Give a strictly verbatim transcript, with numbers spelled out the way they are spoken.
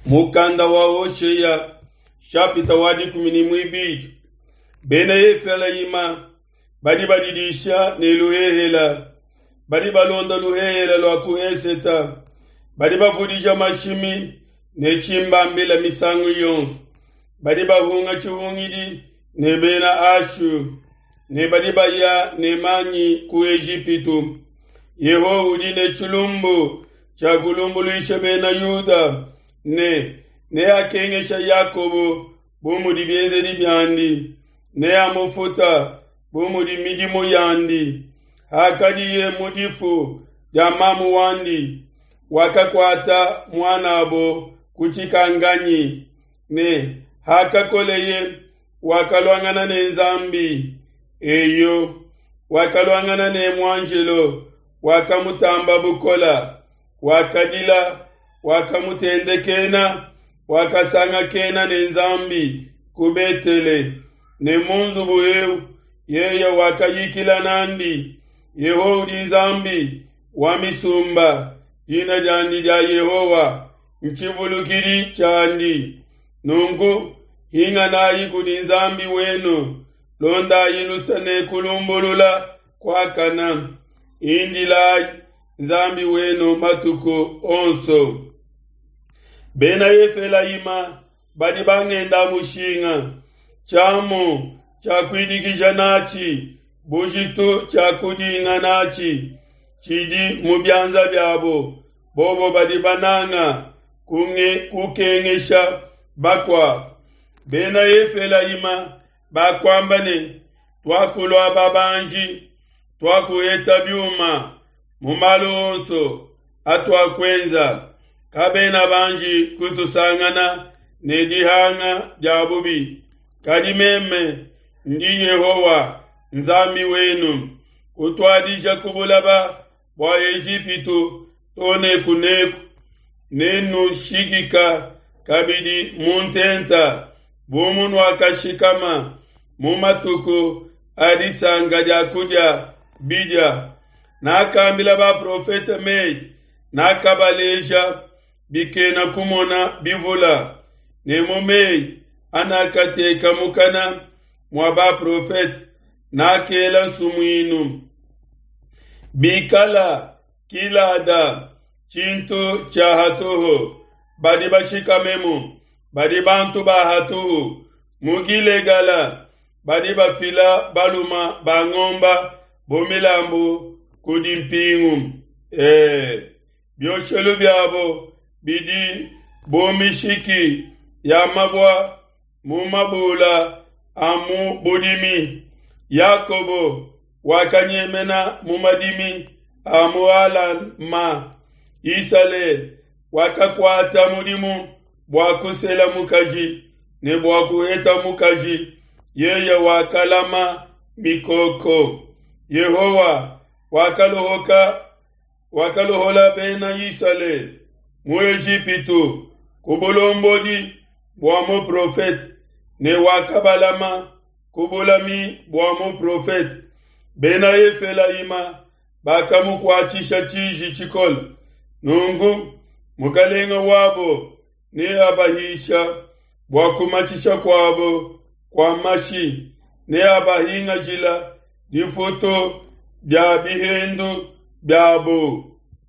Mukanda wa Hoshea shapita wa dikumi ne muibidi. Bena Efelayima badi badidisha ne luhehela, badi balonda luhehela lua ku eseta, badi bavudija mashimi ne tshimbambila misangu yonso, badi bahunga tshihungidi ne bena Ashu ne badi baya ne manyi ku Ejipitu. Yehowa udi ne tshilumbu tshia kulumbuluisha bena Yuda ne neakengesha Yakobo bu mudi bienzedi biandi, neamufuta bu mudi midimu yandi. Hakadiye mu difu dia mamu wandi, wakakuata muan'abo ku tshikanganyi, ne hakakoleye wakaluangana ne Nzambi. Eyo, wakaluangana ne muanjelo wakamutamba bukola, wakadila, wakamutendekena, wakasangakena ne Nzambi ku Betele, ne mu nzubu eu yeye wakayikila n'andi. Yehowa udi Nzambi wa misumba, dina diandi dia Yehowa ntshivulukidi tshiandi. Nunku hinganayi kudi Nzambi wenu, londayi luse ne kulumbulula kuakana, indilayi Nzambi wenu matuku onso. Bena Efelayima badi bangenda mushinga, tshiamu tshia kuidikija natshi bujitu tshia kudinga natshi tshidi mu bianza biabo. Bobo badi bananga kunge, kukengesha bakuabo. Bena Efelayima bakuamba ne, tuakulua babanji, tuakuheta biuma mu malu onso atuakuenza. Kabena banji kutusangana ne dihanga dia bubi. Kadi meme ndi Yehowa Nzambi wenu, kutuadija ku bulaba bua Ejipitu to ne kuneku, nenushikika kabidi mu ntenta bu munuakashikama mu matuku a disanka dia kudia bidia. Nakambila baprofete mei, nakabaleja bikena kumona bivula, ne mu mei anakateka mukana mua baprofete nakela nsumuinu. Bikala Gilada tshintu tshia hatuhu, badi bashikamemu badi bantu ba hatuhu. Mu Gilegala badi bafila baluma ba ngomba bu milambu kudi mpingu. E, bioshelu biabo bidi bu mishiki ya mabua mu mabula a mu budimi. Yakobo wakanyemena mu madimi a mu Alama. Isalele wakakuata mudimu bua kusela mukaji ne bua kuheta mukaji, yeye wakalama mikoko. Yehowa wakalohoka wakalohola bena Isalele mu Ejipitu ku bulombodi bua muprofete, ne wakabalama ku bulami bua muprofete. Bena Efelayima bakamukuatshisha tshiji tshikole. Nunku mukalenga wabo neabahisha bua kumatshisha kuabo kua mashi, neabahingajila difutu dia bihendu biabo.